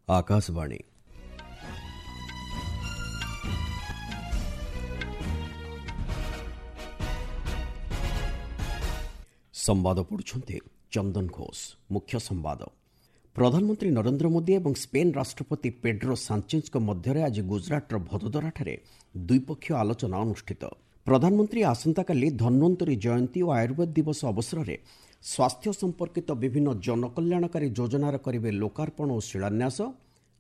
ଆକାଶବାଣୀ। ସମ୍ବାଦ ପଢ଼ୁଛନ୍ତି ଚନ୍ଦନ ଘୋଷ। ମୁଖ୍ୟ ସମ୍ବାଦ। ପ୍ରଧାନମନ୍ତ୍ରୀ ନରେନ୍ଦ୍ର ମୋଦି ଏବଂ ସ୍ପେନ୍ ରାଷ୍ଟ୍ରପତି ପେଡ୍ରୋ ସାଞ୍ଚେଜ୍ଙ୍କ ମଧ୍ୟରେ ଆଜି ଗୁଜରାଟର ଭଦୋଦରାଠାରେ ଦ୍ୱିପକ୍ଷୀୟ ଆଲୋଚନା ଅନୁଷ୍ଠିତ। ପ୍ରଧାନମନ୍ତ୍ରୀ ଆସନ୍ତାକାଲି ଧନ୍ୱନ୍ତରୀ ଜୟନ୍ତୀ ଓ ଆୟୁର୍ବେଦ ଦିବସ ଅବସରରେ ସ୍ୱାସ୍ଥ୍ୟ ସମ୍ପର୍କିତ ବିଭିନ୍ନ ଜନକଲ୍ୟାଣକାରୀ ଯୋଜନାର କରିବେ ଲୋକାର୍ପଣ ଓ ଶିଳାନ୍ୟାସ।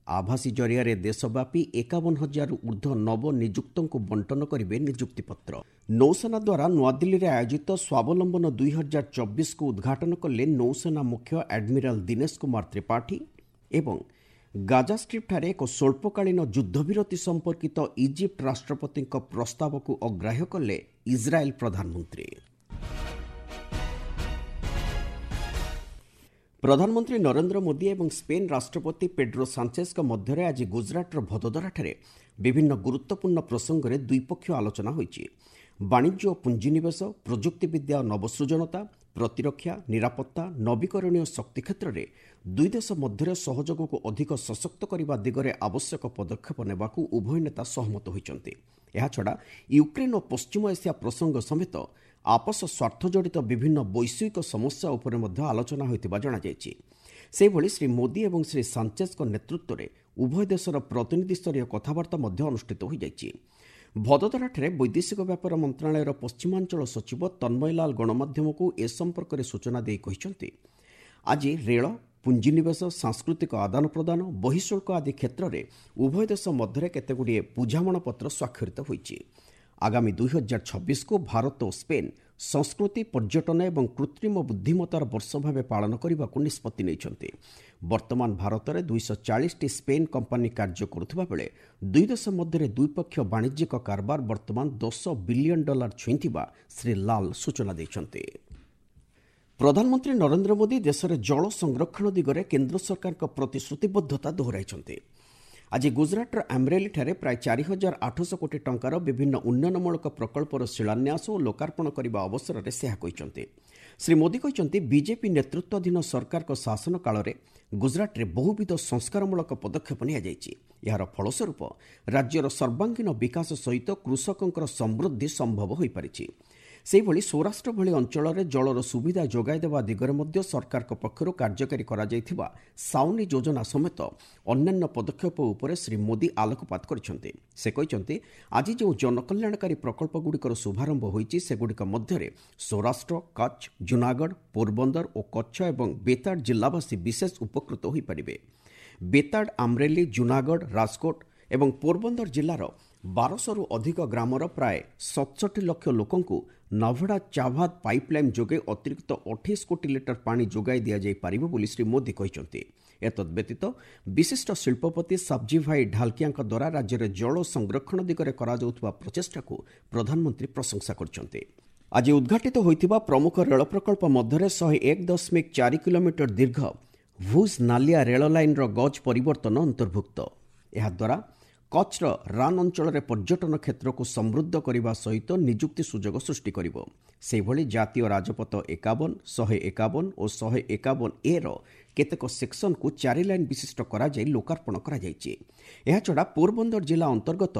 ଆଭାସୀ ଜରିଆରେ ଦେଶବ୍ୟାପୀ 51,000ରୁ ଉର୍ଦ୍ଧ୍ୱ ନବନିଯୁକ୍ତଙ୍କୁ ବଣ୍ଟନ କରିବେ ନିଯୁକ୍ତିପତ୍ର। ନୌସେନା ଦ୍ୱାରା ନୂଆଦିଲ୍ଲୀରେ ଆୟୋଜିତ ସ୍ୱାବଲମ୍ବନ 2024କୁ ଉଦ୍ଘାଟନ କଲେ ନୌସେନା ମୁଖ୍ୟ ଆଡମିରାଲ ଦିନେଶ କୁମାର ତ୍ରିପାଠୀ। ଏବଂ ଗାଜା ଷ୍ଟ୍ରିପ୍ଠାରେ ଏକ ସ୍ୱଳ୍ପକାଳୀନ ଯୁଦ୍ଧବିରତି ସମ୍ପର୍କିତ ଇଜିପ୍ଟ ରାଷ୍ଟ୍ରପତିଙ୍କ ପ୍ରସ୍ତାବକୁ ଅଗ୍ରାହ୍ୟ କଲେ ଇସ୍ରାଏଲ୍ ପ୍ରଧାନମନ୍ତ୍ରୀ। ପ୍ରଧାନମନ୍ତ୍ରୀ ନରେନ୍ଦ୍ର ମୋଦି ଏବଂ ସ୍ପେନ୍ ରାଷ୍ଟ୍ରପତି ପେଡ୍ରୋ ସାଞ୍ଚେଜ୍ଙ୍କ ମଧ୍ୟରେ ଆଜି ଗୁଜରାଟର ଭଦୋଦରାଠାରେ ବିଭିନ୍ନ ଗୁରୁତ୍ୱପୂର୍ଣ୍ଣ ପ୍ରସଙ୍ଗରେ ଦ୍ୱିପକ୍ଷୀୟ ଆଲୋଚନା ହୋଇଛି। ବାଣିଜ୍ୟ ଓ ପୁଞ୍ଜିନିବେଶ, ପ୍ରଯୁକ୍ତିବିଦ୍ୟା ଓ ନବସୃଜନତା, ପ୍ରତିରକ୍ଷା, ନିରାପତ୍ତା, ନବୀକରଣୀୟ ଶକ୍ତି କ୍ଷେତ୍ରରେ ଦୁଇ ଦେଶ ମଧ୍ୟରେ ସହଯୋଗକୁ ଅଧିକ ସଶକ୍ତ କରିବା ଦିଗରେ ଆବଶ୍ୟକ ପଦକ୍ଷେପ ନେବାକୁ ଉଭୟ ନେତା ସହମତ ହୋଇଛନ୍ତି। ଏହାଛଡ଼ା ୟୁକ୍ରେନ୍ ଓ ପଶ୍ଚିମ ଏସିଆ ପ୍ରସଙ୍ଗ ସମେତ ଆପୋଷ ସ୍ୱାର୍ଥଜଡ଼ିତ ବିଭିନ୍ନ ବୈଶ୍ୱିକ ସମସ୍ୟା ଉପରେ ମଧ୍ୟ ଆଲୋଚନା ହୋଇଥିବା ଜଣାଯାଇଛି। ସେହିଭଳି ଶ୍ରୀ ମୋଦି ଏବଂ ଶ୍ରୀ ସାଞ୍ଚେଜ୍ଙ୍କ ନେତୃତ୍ୱରେ ଉଭୟ ଦେଶର ପ୍ରତିନିଧିସ୍ତରୀୟ କଥାବାର୍ତ୍ତା ମଧ୍ୟ ଅନୁଷ୍ଠିତ ହୋଇଯାଇଛି। ଭଦୋଦରାଠାରେ ବୈଦେଶିକ ବ୍ୟାପାର ମନ୍ତ୍ରଣାଳୟର ପଶ୍ଚିମାଞ୍ଚଳ ସଚିବ ତନ୍ମୟଲାଲ ଗଣମାଧ୍ୟମକୁ ଏ ସମ୍ପର୍କରେ ସୂଚନା ଦେଇ କହିଛନ୍ତି, ଆଜି ରେଳ, ପୁଞ୍ଜିନିବେଶ, ସାଂସ୍କୃତିକ ଆଦାନପ୍ରଦାନ, ବହିଃଶୁଳ୍କ ଆଦି କ୍ଷେତ୍ରରେ ଉଭୟ ଦେଶ ମଧ୍ୟରେ କେତେଗୁଡ଼ିଏ ବୁଝାମଣାପତ୍ର ସ୍ୱାକ୍ଷରିତ ହୋଇଛି। ଆଗାମୀ 2026କୁ ଭାରତ ଓ ସ୍ପେନ୍ ସଂସ୍କୃତି, ପର୍ଯ୍ୟଟନ ଏବଂ କୃତ୍ରିମ ବୁଦ୍ଧିମତ୍ତାର ବର୍ଷ ଭାବେ ପାଳନ କରିବାକୁ ନିଷ୍ପତ୍ତି ନେଇଛନ୍ତି। ବର୍ତ୍ତମାନ ଭାରତରେ 240ଟି ସ୍ପେନ୍ କମ୍ପାନୀ କାର୍ଯ୍ୟ କରୁଥିବା ବେଳେ ଦୁଇ ଦେଶ ମଧ୍ୟରେ ଦ୍ୱିପକ୍ଷୀୟ ବାଣିଜ୍ୟିକ କାରବାର ବର୍ତ୍ତମାନ $10 ବିଲିୟନ ଛୁଇଁଥିବା ଶ୍ରୀ ଲାଲ ସୂଚନା ଦେଇଛନ୍ତି। ପ୍ରଧାନମନ୍ତ୍ରୀ ନରେନ୍ଦ୍ର ମୋଦି ଦେଶରେ ଜଳ ସଂରକ୍ଷଣ ଦିଗରେ କେନ୍ଦ୍ର ସରକାରଙ୍କ ପ୍ରତିଶ୍ରୁତିବଦ୍ଧତା ଦୋହରାଇଛନ୍ତି। ଆଜି ଗୁଜରାଟର ଆମ୍ରେଲିଠାରେ ପ୍ରାୟ 4,800 କୋଟି ଟଙ୍କାର ବିଭିନ୍ନ ଉନ୍ନୟନମୂଳକ ପ୍ରକଳ୍ପର ଶିଳାନ୍ୟାସ ଓ ଲୋକାର୍ପଣ କରିବା ଅବସରରେ ସେ ଏହା କହିଛନ୍ତି। ଶ୍ରୀ ମୋଦି କହିଛନ୍ତି, ବିଜେପି ନେତୃତ୍ୱାଧୀନ ସରକାରଙ୍କ ଶାସନ କାଳରେ ଗୁଜରାଟରେ ବହୁବିଧ ସଂସ୍କାରମୂଳକ ପଦକ୍ଷେପ ନିଆଯାଇଛି। ଏହାର ଫଳସ୍ୱରୂପ ରାଜ୍ୟର ସର୍ବାଙ୍ଗୀନ ବିକାଶ ସହିତ କୃଷକଙ୍କର ସମୃଦ୍ଧି ସମ୍ଭବ ହୋଇପାରିଛି। ସେହିଭଳି ସୌରାଷ୍ଟ୍ର ଭଳି ଅଞ୍ଚଳରେ ଜଳର ସୁବିଧା ଯୋଗାଇ ଦେବା ଦିଗରେ ମଧ୍ୟ ସରକାରଙ୍କ ପକ୍ଷରୁ କାର୍ଯ୍ୟକାରୀ କରାଯାଇଥିବା ସାଉନି ଯୋଜନା ସମେତ ଅନ୍ୟାନ୍ୟ ପଦକ୍ଷେପ ଉପରେ ଶ୍ରୀ ମୋଦି ଆଲୋକପାତ କରିଛନ୍ତି। ସେ କହିଛନ୍ତି, ଆଜି ଯେଉଁ ଜନକଲ୍ୟାଣକାରୀ ପ୍ରକଳ୍ପଗୁଡ଼ିକର ଶୁଭାରମ୍ଭ ହୋଇଛି ସେଗୁଡ଼ିକ ମଧ୍ୟରେ ସୌରାଷ୍ଟ୍ର, କଚ୍ଛ, ଜୁନାଗଡ଼, ପୋରବନ୍ଦର ଓ କଚ୍ଛ ଏବଂ ବେତାଡ଼ ଜିଲ୍ଲାବାସୀ ବିଶେଷ ଉପକୃତ ହୋଇପାରିବେ। ବେତାଡ଼, ଆମ୍ରେଲି, ଜୁନାଗଡ଼, ରାଜକୋଟ ଏବଂ ପୋରବନ୍ଦର ଜିଲ୍ଲାର 1200ରୁ ଅଧିକ ଗ୍ରାମର ପ୍ରାୟ 67 ଲକ୍ଷ ଲୋକଙ୍କୁ ନଭଡ଼ା ଚାଭାଦ ପାଇପ୍ଲାଇନ୍ ଯୋଗେ ଅତିରିକ୍ତ 28 କୋଟି ଲିଟର ପାଣି ଯୋଗାଇ ଦିଆଯାଇପାରିବ ବୋଲି ଶ୍ରୀ ମୋଦି କହିଛନ୍ତି। ଏତଦ୍ବ୍ୟତୀତ ବିଶିଷ୍ଟ ଶିଳ୍ପପତି ସାବଜୀଭାଇ ଢାଲକିଆଙ୍କ ଦ୍ୱାରା ରାଜ୍ୟରେ ଜଳ ସଂରକ୍ଷଣ ଦିଗରେ କରାଯାଉଥିବା ପ୍ରଚେଷ୍ଟାକୁ ପ୍ରଧାନମନ୍ତ୍ରୀ ପ୍ରଶଂସା କରିଛନ୍ତି। ଆଜି ଉଦ୍ଘାଟିତ ହୋଇଥିବା ପ୍ରମୁଖ ରେଳ ପ୍ରକଳ୍ପ ମଧ୍ୟରେ 101.4 କିଲୋମିଟର ଦୀର୍ଘ ଭୁଜ୍ ନାଲିଆ ରେଳ ଲାଇନ୍ର ଗଜ୍ ପରିବର୍ତ୍ତନ ଅନ୍ତର୍ଭୁକ୍ତ। ଏହାଦ୍ୱାରା କଚ୍ଛର ରାନ୍ ଅଞ୍ଚଳରେ ପର୍ଯ୍ୟଟନ କ୍ଷେତ୍ରକୁ ସମୃଦ୍ଧ କରିବା ସହିତ ନିଯୁକ୍ତି ସୁଯୋଗ ସୃଷ୍ଟି କରିବ। ସେହିଭଳି ଜାତୀୟ ରାଜପଥ 51, 151 ଓ 151 ର କେତେକ ସେକ୍ସନକୁ 4 ଲାଇନ୍ ବିଶିଷ୍ଟ କରାଯାଇ ଲୋକାର୍ପଣ କରାଯାଇଛି। ଏହାଛଡ଼ା ପୋରବନ୍ଦର ଜିଲ୍ଲା ଅନ୍ତର୍ଗତ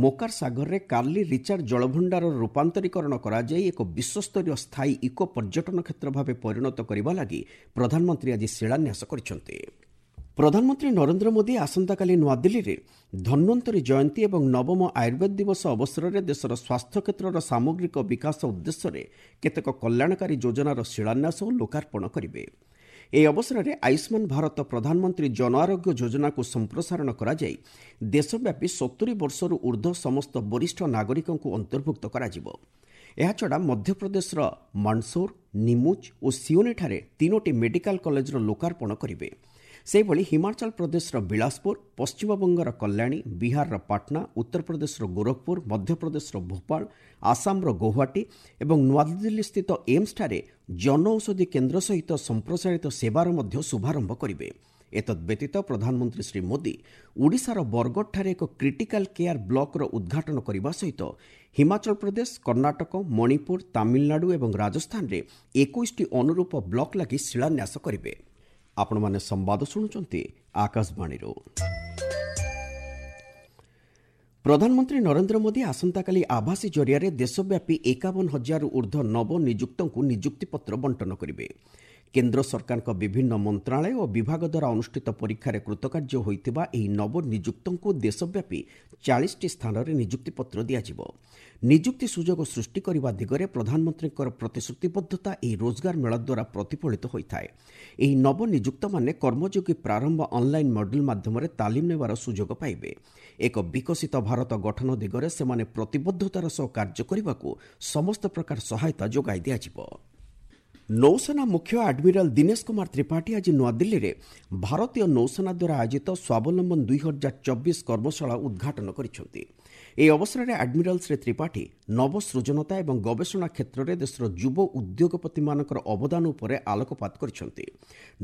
ମୋକାର ସାଗରରେ କାର୍ଲି ରିଚାର୍ଡ ଜଳଭଣ୍ଡାରର ରୂପାନ୍ତରୀକରଣ କରାଯାଇ ଏକ ବିଶ୍ୱସ୍ତରୀୟ ସ୍ଥାୟୀ ଇକୋ ପର୍ଯ୍ୟଟନ କ୍ଷେତ୍ର ଭାବେ ପରିଣତ କରିବା ଲାଗି ପ୍ରଧାନମନ୍ତ୍ରୀ ଆଜି ଶିଳାନ୍ୟାସ କରିଛନ୍ତି। ପ୍ରଧାନମନ୍ତ୍ରୀ ନରେନ୍ଦ୍ର ମୋଦି ଆସନ୍ତାକାଲି ନୂଆଦିଲ୍ଲୀରେ ଧନ୍ୱନ୍ତରୀ ଜୟନ୍ତୀ ଏବଂ ନବମ ଆୟୁର୍ବେଦ ଦିବସ ଅବସରରେ ଦେଶର ସ୍ୱାସ୍ଥ୍ୟ କ୍ଷେତ୍ରର ସାମଗ୍ରିକ ବିକାଶ ଉଦ୍ଦେଶ୍ୟରେ କେତେକ କଲ୍ୟାଣକାରୀ ଯୋଜନାର ଶିଳାନ୍ୟାସ ଓ ଲୋକାର୍ପଣ କରିବେ। ଏହି ଅବସରରେ ଆୟୁଷ୍ମାନ ଭାରତ ପ୍ରଧାନମନ୍ତ୍ରୀ ଜନ ଆରୋଗ୍ୟ ଯୋଜନାକୁ ସମ୍ପ୍ରସାରଣ କରାଯାଇ ଦେଶବ୍ୟାପୀ 70 ବର୍ଷରୁ ଉର୍ଦ୍ଧ୍ୱ ସମସ୍ତ ବରିଷ୍ଠ ନାଗରିକଙ୍କୁ ଅନ୍ତର୍ଭୁକ୍ତ କରାଯିବ। ଏହାଛଡ଼ା ମଧ୍ୟପ୍ରଦେଶର ମଣ୍ଡସୌର, ନିମୁଚ୍ ଓ ସିଓନିଠାରେ 3ଟି ମେଡିକାଲ କଲେଜର ଲୋକାର୍ପଣ କରିବେ। ସେହିଭଳି ହିମାଚଳ ପ୍ରଦେଶର ବିଳାସପୁର, ପଶ୍ଚିମବଙ୍ଗର କଲ୍ୟାଣୀ, ବିହାରର ପାଟନା, ଉତ୍ତରପ୍ରଦେଶର ଗୋରଖପୁର, ମଧ୍ୟପ୍ରଦେଶର ଭୋପାଳ, ଆସାମର ଗୌହାଟୀ ଏବଂ ନୂଆଦିଲ୍ଲୀସ୍ଥିତ ଏମ୍ସଠାରେ ଜନଔଷଧି କେନ୍ଦ୍ର ସହିତ ସମ୍ପ୍ରସାରିତ ସେବାର ମଧ୍ୟ ଶୁଭାରମ୍ଭ କରିବେ। ଏତଦ୍ବ୍ୟତୀତ ପ୍ରଧାନମନ୍ତ୍ରୀ ଶ୍ରୀ ମୋଦି ଓଡ଼ିଶାର ବରଗଡ଼ଠାରେ ଏକ କ୍ରିଟିକାଲ କେୟାର ବ୍ଲକର ଉଦ୍ଘାଟନ କରିବା ସହିତ ହିମାଚଳ ପ୍ରଦେଶ, କର୍ଣ୍ଣାଟକ, ମଣିପୁର, ତାମିଲନାଡୁ ଏବଂ ରାଜସ୍ଥାନରେ 21ଟି ଅନୁରୂପ ବ୍ଲକ ଲାଗି ଶିଳାନ୍ୟାସ କରିବେ। ଆପଣମାନେ ସମ୍ବାଦ ଶୁଣୁଛନ୍ତି ଆକାଶବାଣୀରୁ। ପ୍ରଧାନମନ୍ତ୍ରୀ ନରେନ୍ଦ୍ର ମୋଦି ଆସନ୍ତାକାଲି ଆଭାସୀ ଜରିଆରେ ଦେଶବ୍ୟାପୀ 51,000ରୁ ଊର୍ଦ୍ଧ୍ୱ ନବନିଯୁକ୍ତଙ୍କୁ ନିଯୁକ୍ତିପତ୍ର ବଣ୍ଟନ କରିବେ। କେନ୍ଦ୍ର ସରକାରଙ୍କ ବିଭିନ୍ନ ମନ୍ତ୍ରଣାଳୟ ଓ ବିଭାଗ ଦ୍ୱାରା ଅନୁଷ୍ଠିତ ପରୀକ୍ଷାରେ କୃତକାର୍ଯ୍ୟ ହୋଇଥିବା ଏହି ନବନିଯୁକ୍ତଙ୍କୁ ଦେଶବ୍ୟାପୀ 40ଟି ସ୍ଥାନରେ ନିଯୁକ୍ତିପତ୍ର ଦିଆଯିବ। ନିଯୁକ୍ତି ସୁଯୋଗ ସୃଷ୍ଟି କରିବା ଦିଗରେ ପ୍ରଧାନମନ୍ତ୍ରୀଙ୍କର ପ୍ରତିଶ୍ରୁତିବଦ୍ଧତା ଏହି ରୋଜଗାର ମେଳା ଦ୍ୱାରା ପ୍ରତିଫଳିତ ହୋଇଥାଏ। ଏହି ନବନିଯୁକ୍ତମାନେ କର୍ମଯୋଗୀ ପ୍ରାରମ୍ଭ ଅନ୍ଲାଇନ୍ ମଡେଲ୍ ମାଧ୍ୟମରେ ତାଲିମ ନେବାର ସୁଯୋଗ ପାଇବେ। ଏକ ବିକଶିତ ଭାରତ ଗଠନ ଦିଗରେ ସେମାନେ ପ୍ରତିବଦ୍ଧତାର ସହ କାର୍ଯ୍ୟ କରିବାକୁ ସମସ୍ତ ପ୍ରକାର ସହାୟତା ଯୋଗାଇ ଦିଆଯିବ। ନୌସେନା ମୁଖ୍ୟ ଆଡମିରାଲ ଦିନେଶ କୁମାର ତ୍ରିପାଠୀ ଆଜି ନୂଆଦିଲ୍ଲୀରେ ଭାରତୀୟ ନୌସେନା ଦ୍ୱାରା ଆୟୋଜିତ ସ୍ୱାବଲମ୍ବନ 2024 କର୍ମଶାଳା ଉଦ୍ଘାଟନ କରିଛନ୍ତି। ଏହି ଅବସରରେ ଆଡମିରାଲ ଶ୍ରୀ ତ୍ରିପାଠୀ ନବସୃଜନତା ଏବଂ ଗବେଷଣା କ୍ଷେତ୍ରରେ ଦେଶର ଯୁବ ଉଦ୍ୟୋଗପତିମାନଙ୍କର ଅବଦାନ ଉପରେ ଆଲୋକପାତ କରିଛନ୍ତି।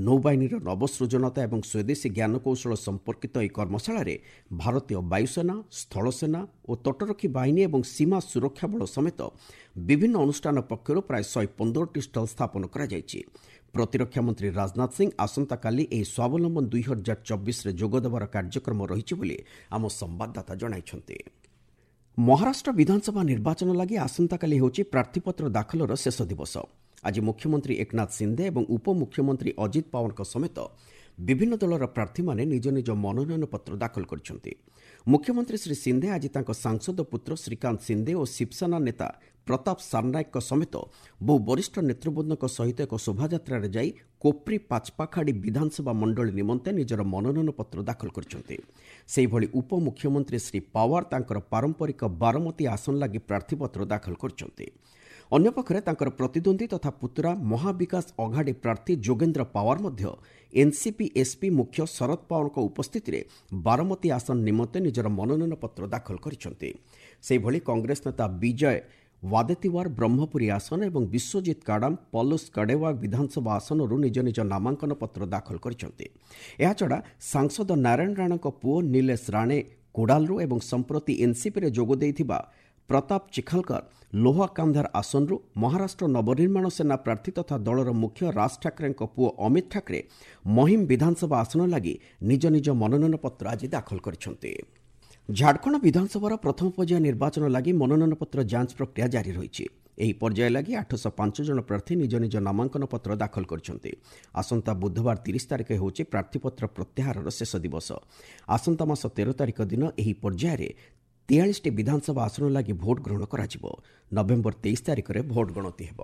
ନୌବାହିନୀର ନବସୃଜନତା ଏବଂ ସ୍ୱଦେଶୀ ଜ୍ଞାନକୌଶଳ ସମ୍ପର୍କିତ ଏହି କର୍ମଶାଳାରେ ଭାରତୀୟ ବାୟୁସେନା, ସ୍ଥଳସେନା ଓ ତଟରକ୍ଷୀ ବାହିନୀ ଏବଂ ସୀମା ସୁରକ୍ଷା ବଳ ସମେତ ବିଭିନ୍ନ ଅନୁଷ୍ଠାନ ପକ୍ଷରୁ ପ୍ରାୟ 115ଟି ଷ୍ଟଲ୍ ସ୍ଥାପନ କରାଯାଇଛି। ପ୍ରତିରକ୍ଷା ମନ୍ତ୍ରୀ ରାଜନାଥ ସିଂ ଆସନ୍ତାକାଲି ଏହି ସ୍ୱାବଲମ୍ବନ 2024ରେ ଯୋଗଦେବାର କାର୍ଯ୍ୟକ୍ରମ ରହିଛି ବୋଲି ଆମ ସମ୍ବାଦଦାତା ଜଣାଇଛନ୍ତି। ମହାରାଷ୍ଟ୍ର ବିଧାନସଭା ନିର୍ବାଚନ ଲାଗି ଆସନ୍ତାକାଲି ହେଉଛି ପ୍ରାର୍ଥୀପତ୍ର ଦାଖଲର ଶେଷ ଦିବସ। ଆଜି ମୁଖ୍ୟମନ୍ତ୍ରୀ ଏକନାଥ ସିନ୍ଦେ ଏବଂ ଉପମୁଖ୍ୟମନ୍ତ୍ରୀ ଅଜିତ ପାୱାରଙ୍କ ସମେତ ବିଭିନ୍ନ ଦଳର ପ୍ରାର୍ଥୀମାନେ ନିଜ ନିଜ ମନୋନୟନପତ୍ର ଦାଖଲ କରିଛନ୍ତି। ମୁଖ୍ୟମନ୍ତ୍ରୀ ଶ୍ରୀ ସିନ୍ଦେ ଆଜି ତାଙ୍କ ସାଂସଦ ପୁତ୍ର ଶ୍ରୀକାନ୍ତ ସିନ୍ଦେ ଓ ଶିବସେନା ନେତା ପ୍ରତାପ ସାରନାୟକଙ୍କ ସମେତ ବହୁ ବରିଷ୍ଠ ନେତୃବୃନ୍ଦଙ୍କ ସହିତ ଏକ ଶୋଭାଯାତ୍ରାରେ ଯାଇ କୋପ୍ରି ପାଚପାଖାଡ଼ି ବିଧାନସଭା ମଣ୍ଡଳୀ ନିମନ୍ତେ ନିଜର ମନୋନୟନପତ୍ର ଦାଖଲ କରିଛନ୍ତି। ସେହିଭଳି ଉପମୁଖ୍ୟମନ୍ତ୍ରୀ ଶ୍ରୀ ପାୱାର ତାଙ୍କର ପାରମ୍ପରିକ ବାରମତୀ ଆସନ ଲାଗି ପ୍ରାର୍ଥୀପତ୍ର ଦାଖଲ କରିଛନ୍ତି। ଅନ୍ୟପକ୍ଷରେ ତାଙ୍କର ପ୍ରତିଦ୍ୱନ୍ଦ୍ୱୀ ତଥା ପୁତୁରା ମହାବିକାଶ ଅଘାଡ଼ି ପ୍ରାର୍ଥୀ ଯୋଗେନ୍ଦ୍ର ପାୱାର ମଧ୍ୟ ଏନ୍ସିପି ଏସ୍ପି ମୁଖ୍ୟ ଶରଦ ପାୱାରଙ୍କ ଉପସ୍ଥିତିରେ ବାରମତୀ ଆସନ ନିମନ୍ତେ ନିଜର ମନୋନୟନପତ୍ର ଦାଖଲ କରିଛନ୍ତି। ସେହିଭଳି କଂଗ୍ରେସ ନେତା ବିଜୟ ୱାଦେତିୱାର ବ୍ରହ୍ମପୁରୀ ଆସନ ଏବଂ ବିଶ୍ୱଜିତ କାଡାମ ପଲୁସ କଡେୱା ବିଧାନସଭା ଆସନରୁ ନିଜ ନିଜ ନାମାଙ୍କନ ପତ୍ର ଦାଖଲ କରିଛନ୍ତି। ଏହାଛଡ଼ା ସାଂସଦ ନାରାୟଣ ରାଣେଙ୍କ ପୁଅ ନିଲେଶ ରାଣେ କୋଡାଲରୁ ଏବଂ ସମ୍ପ୍ରତି ଏନ୍ସିପିରେ ଯୋଗ ଦେଇଥିବା ପ୍ରତାପ ଚିଖାଲକର ଲୋହା କାନ୍ଧାର ଆସନରୁ, ମହାରାଷ୍ଟ୍ର ନବନିର୍ମାଣ ସେନା ପ୍ରାର୍ଥୀ ତଥା ଦଳର ମୁଖ୍ୟ ରାଜ ଠାକରେଙ୍କ ପୁଅ ଅମିତ ଠାକରେ ମହିମ ବିଧାନସଭା ଆସନ ଲାଗି ନିଜ ନିଜ ମନୋନୟନପତ୍ର ଆଜି ଦାଖଲ କରିଛନ୍ତି। ଝାଡ଼ଖଣ୍ଡ ବିଧାନସଭାର ପ୍ରଥମ ପର୍ଯ୍ୟାୟ ନିର୍ବାଚନ ଲାଗି ମନୋନୟନପତ୍ର ଯାଞ୍ଚ ପ୍ରକ୍ରିୟା ଜାରି ରହିଛି। ଏହି ପର୍ଯ୍ୟାୟ ଲାଗି 805 ଜଣ ପ୍ରାର୍ଥୀ ନିଜ ନିଜ ନାମାଙ୍କନ ପତ୍ର ଦାଖଲ କରିଛନ୍ତି। ଆସନ୍ତା ବୁଧବାର 30 ତାରିଖ ହେଉଛି ପ୍ରାର୍ଥୀପତ୍ର ପ୍ରତ୍ୟାହାରର ଶେଷ ଦିବସ। ଆସନ୍ତା ମାସ 13 ତାରିଖ ଦିନ ଏହି ପର୍ଯ୍ୟାୟରେ 43ଟି ବିଧାନସଭା ଆସନ ଲାଗି ଭୋଟ୍ ଗ୍ରହଣ କରାଯିବ। ନଭେମ୍ବର 23 ତାରିଖରେ ଭୋଟ୍ ଗଣତି ହେବ।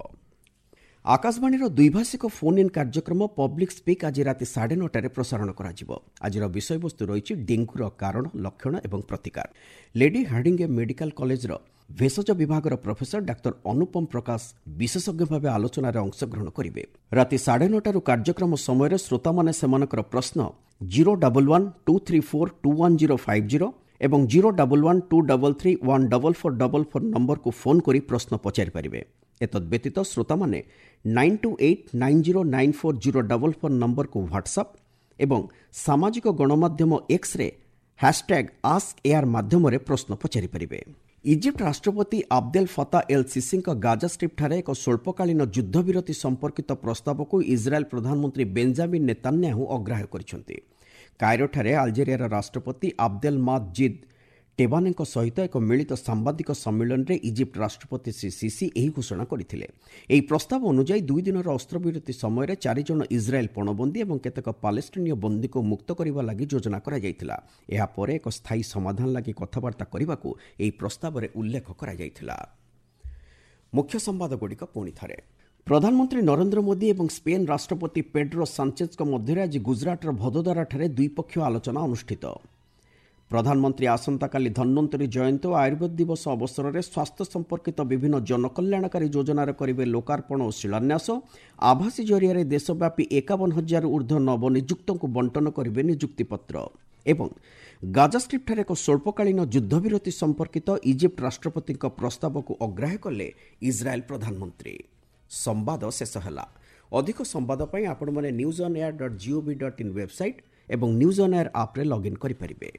ଆକାଶବାଣୀର ଦ୍ୱିଭାଷିକ ଫୋନ୍ ଇନ୍ କାର୍ଯ୍ୟକ୍ରମ ପବ୍ଲିକ୍ ସ୍ପିକ୍ ଆଜି ରାତି 9:30ରେ ପ୍ରସାରଣ କରାଯିବ। ଆଜିର ବିଷୟବସ୍ତୁ ରହିଛି ଡେଙ୍ଗୁର କାରଣ, ଲକ୍ଷଣ ଏବଂ ପ୍ରତିକାର। ଲେଡି ହାର୍ଡିଙ୍ଗେ ମେଡିକାଲ କଲେଜର ଭେଷଜ ବିଭାଗର ପ୍ରଫେସର ଡାକ୍ତର ଅନୁପମ ପ୍ରକାଶ ବିଶେଷଜ୍ଞ ଭାବେ ଆଲୋଚନାରେ ଅଂଶଗ୍ରହଣ କରିବେ। ରାତି 9:30ରୁ କାର୍ଯ୍ୟକ୍ରମ ସମୟରେ ଶ୍ରୋତାମାନେ ସେମାନଙ୍କର ପ୍ରଶ୍ନ 011 234 21050 ଏବଂ 011 233 14444 ନମ୍ବରକୁ ଫୋନ୍ କରି ପ୍ରଶ୍ନ ପଚାରିପାରିବେ। ଏତଦ୍ବ୍ୟତୀତ ଶ୍ରୋତାମାନେ 928 90 94 044 ନମ୍ବରକୁ ହ୍ୱାଟ୍ସଆପ୍ ଏବଂ ସାମାଜିକ ଗଣମାଧ୍ୟମ ଏକ୍ସରେ ହ୍ୟାସ୍ଟ୍ୟାଗ୍ ଆସ୍କ ଏୟାର ମାଧ୍ୟମରେ ପ୍ରଶ୍ନ ପଚାରିପାରିବେ। ଇଜିପ୍ଟ ରାଷ୍ଟ୍ରପତି ଆବଦେଲ ଫତା ଏଲ୍ ସିସିଙ୍କ ଗାଜା ଷ୍ଟ୍ରିପ୍ଠାରେ ଏକ ସ୍ୱଳ୍ପକାଳୀନ ଯୁଦ୍ଧବିରତି ସମ୍ପର୍କିତ ପ୍ରସ୍ତାବକୁ ଇସ୍ରାଏଲ୍ ପ୍ରଧାନମନ୍ତ୍ରୀ ବେଞ୍ଜାମିନ୍ ନେତାନ୍ୟାହୁ ଅଗ୍ରାହ୍ୟ କରିଛନ୍ତି। କାଇରୋଠାରେ ଆଲଜେରିଆର ରାଷ୍ଟ୍ରପତି ଆବଦେଲ ମାଦ୍ ଜିଦ୍ ଟେବାନେଙ୍କ ସହିତ ଏକ ମିଳିତ ସାମ୍ବାଦିକ ସମ୍ମିଳନୀରେ ଇଜିପ୍ଟ ରାଷ୍ଟ୍ରପତି ଶ୍ରୀ ସିସି ଏହି ଘୋଷଣା କରିଥିଲେ। ଏହି ପ୍ରସ୍ତାବ ଅନୁଯାୟୀ 2 ଦିନର ଅସ୍ତ୍ରବିରତି ସମୟରେ 4 ଜଣ ଇସ୍ରାଏଲ୍ ପଣବନ୍ଦୀ ଏବଂ କେତେକ ପାଲେଷ୍ଟିନୀୟ ବନ୍ଦୀଙ୍କୁ ମୁକ୍ତ କରିବା ଲାଗି ଯୋଜନା କରାଯାଇଥିଲା। ଏହାପରେ ଏକ ସ୍ଥାୟୀ ସମାଧାନ ଲାଗି କଥାବାର୍ତ୍ତା କରିବାକୁ ଏହି ପ୍ରସ୍ତାବରେ ଉଲ୍ଲେଖ କରାଯାଇଥିଲା। ମୁଖ୍ୟ ସମ୍ବାଦଗୁଡ଼ିକ ପୁଣି ଥରେ। ପ୍ରଧାନମନ୍ତ୍ରୀ ନରେନ୍ଦ୍ର ମୋଦି ଏବଂ ସ୍ପେନ୍ ରାଷ୍ଟ୍ରପତି ପେଡ୍ରୋ ସାଞ୍ଚେଜଙ୍କ ମଧ୍ୟରେ ଆଜି ଗୁଜରାଟର ଭଦୋଦରାଠାରେ ଦ୍ୱିପକ୍ଷୀୟ ଆଲୋଚନା ଅନୁଷ୍ଠିତ। ପ୍ରଧାନମନ୍ତ୍ରୀ ଆସନ୍ତାକାଲି ଧନ୍ୱନ୍ତରୀ ଜୟନ୍ତୀ ଓ ଆୟୁର୍ବେଦ ଦିବସ ଅବସରରେ ସ୍ୱାସ୍ଥ୍ୟ ସମ୍ପର୍କିତ ବିଭିନ୍ନ ଜନକଲ୍ୟାଣକାରୀ ଯୋଜନାର କରିବେ ଲୋକାର୍ପଣ ଓ ଶିଳାନ୍ୟାସ। ଆଭାସୀ ଜରିଆରେ ଦେଶବ୍ୟାପୀ 51,000ରୁ ଊର୍ଦ୍ଧ୍ୱ ନବନିଯୁକ୍ତଙ୍କୁ ବଣ୍ଟନ କରିବେ ନିଯୁକ୍ତିପତ୍ର। ଏବଂ ଗାଜା ଷ୍ଟ୍ରିପ୍ଠାରେ ଏକ ସ୍ୱଳ୍ପକାଳୀନ ଯୁଦ୍ଧବିରତି ସମ୍ପର୍କିତ ଇଜିପ୍ଟ ରାଷ୍ଟ୍ରପତିଙ୍କ ପ୍ରସ୍ତାବକୁ ଅଗ୍ରାହ୍ୟ କଲେ ଇସ୍ରାଏଲ୍ ପ୍ରଧାନମନ୍ତ୍ରୀ। ସମ୍ବାଦ ଶେଷ ହେଲା। ଅଧିକ ସମ୍ବାଦ ପାଇଁ ଆପଣମାନେ newsonair.gov.in website ଏବଂ ନ୍ୟୁଜ୍ ଅନ୍ ଏୟାର ଆପ୍ରେ ଲଗ୍ଇନ୍ କରିପାରିବେ।